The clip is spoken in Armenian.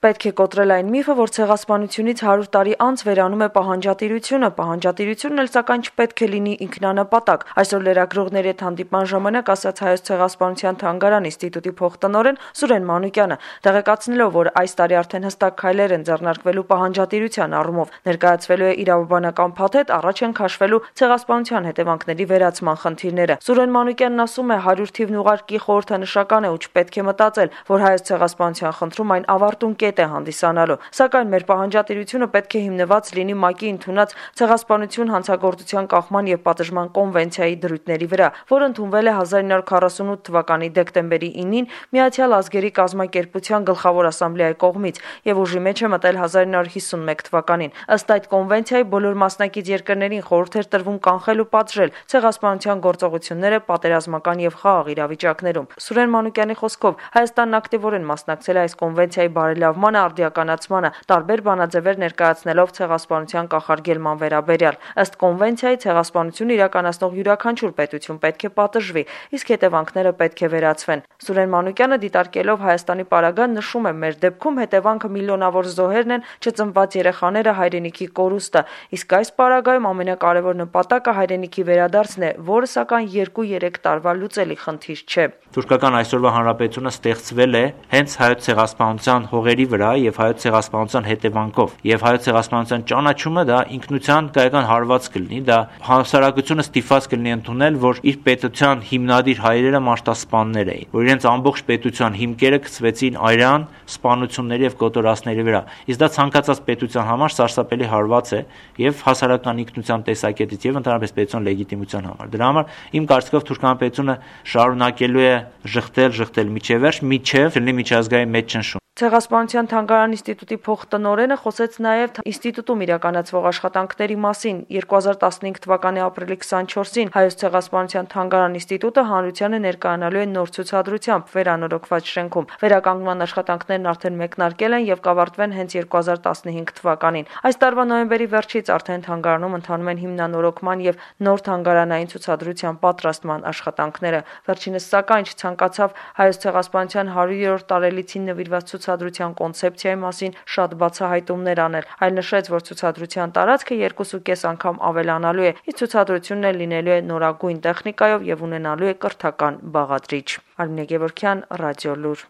Պետք է կոտրել այն միֆը, որ ցեղասպանությունից 100 տարի անց վերանում է պահանջատիրությունը։ Պահանջատիրությունն էլ սակայն չպետք է լինի ինքնանպատակ։ Այսօր լրագրողների հետ հանդիպման ժամանակ ասաց Հայոց ցեղասպանության թանգարան ինստիտուտի փոխտնօրեն Սուրեն Մանուկյանը, տեղեկացնելով, որ այս տարի արդեն հստակ քայլեր են ձեռնարկվելու պահանջատիրության առումով, ներկայացվելու է իրավաբանական փաթեթ, առաջ են քաշվելու ցեղասպանության հետևանքների վերացման խնդիրները։ Սուրեն Մանուկյանն ասում է, 100 թիվն ուղարկի խորհրդանշական է ու չպետք է մտածել, որ Հայոց ցեղասպանության խնդրում այն ավարտուն կետ է հանդիսանալու, սակայն մեր պահանջատիրությունը պետք է հիմնված լինի ՄԱԿ-ի ընդունած ցեղասպանություն հանցագործության կախման եւ պատժման կոնվենցիայի դրույթների վրա, որը ընդունվել է 1948 թվականի դեկտեմբերի 9-ին Միացյալ Ազգերի կազմակերպության գլխավոր ասամբլեայի կողմից եւ ուժի մեջ է մտել 1951 թվականին։ Ըստ այդ կոնվենցիայի բոլոր մասնակից երկրներին խորհուրդ էր տրվում կանխել ու պատժել ցեղասպանության գործողությունները պատերազմական եւ խաղաղ իրավիճակներում։ Սուրեն Մանուկյանի խոսքով Հայաստանն ակտիվորեն մասնակցել է այս կոնվենցիայի բարելավմանը, արդիականացմանը, տարբեր բանաձևեր ներկայացնելով ցեղասպանության կանխարգելման վերաբերյալ։ Ըստ կոնվենցիայի ցեղասպանություն իրականացնող յուրաքանչյուր պետություն պետք է պատժվի, իսկ հետևանքները պետք է վերացվեն։ Սուրեն Մանուկյանը դիտարկելով Հայաստանի պարագան նշում է, մեր դեպքում հետևանքը միլիոնավոր զոհերն են, չծնված երեխաները, հայրենիքի կորուստը, իսկ այս պարագայում ամենակարևոր նպատակը հայրենիքի վերադարձն է, որը սակայն 2-3 տարվա լուծելի խնդիր չէ։ Թուրքական այսօրվա հանրապետությունը ստեղծվել է հենց հայոց ցեղասպանության հողերի վրա եւ հայոց ցեղասպանության հետևանքով, եւ հայոց ցեղասպանության ճանաչումը դա ինքնության կայական հարված կլինի, դա հասարակությունը ստիպված կլինի ընդունել, որ իր պետության հիմնադիր հայրերը մարտասպաններ էին, որ իրենց ամբողջ պետության հիմքերը գցվեցին արյան սպանությունների եւ կոտորածների վրա։ Իսկ դա ցանկացած պետության համար սարսափելի հարված է եւ հասարակական ինքնության տեսակետից եւ ընդհանրապես պետության լեգիտիմության համար։ Դրա համար իմ կարծիքով թուրքական պետությունը շարունակելու է ժխտել միջև վերջ, միջև լինի միջազգային մեծ ճնշում։ Ցեղասպանության թանգարան ինստիտուտի փոխտնօրենը խոսեց նաև ինստիտուտում իրականացվող աշխատանքների մասին։ 2015 թվականի ապրիլի 24-ին Հայոց ցեղասպանության թանգարան ինստիտուտը հանրությանը ներկայանալու է նոր ցուցադրությամբ վերանորոգված շենքում։ Վերականգնման աշխատանքներն արդեն մեկնարկել են եւ կավարտվեն հենց 2015 թվականին։ Այս տարվա նոյեմբերի վերջից արդեն թանգարանում ընթանում են հիմնանորոգման եւ նոր թանգարանային ցուցադրության պատրաստման աշխատանքները։ Վերջինս սակայն չցանկացավ Հայոց ցեղասպանության 100-րդ տարելիցին նվիրված ցուցադրության կոնցեպցիայի մասին շատ բացահայտումներ անել, այլ նշեց, որ ցուցադրության տարածքը 2.5 անգամ ավելանալու է, իսկ ցուցադրությունն էլ լինելու է նորագույն տեխնիկայով եւ ունենալու է կրթական բաղադրիչ։ Արմինե Գևորգյան, Ռադիոլուր։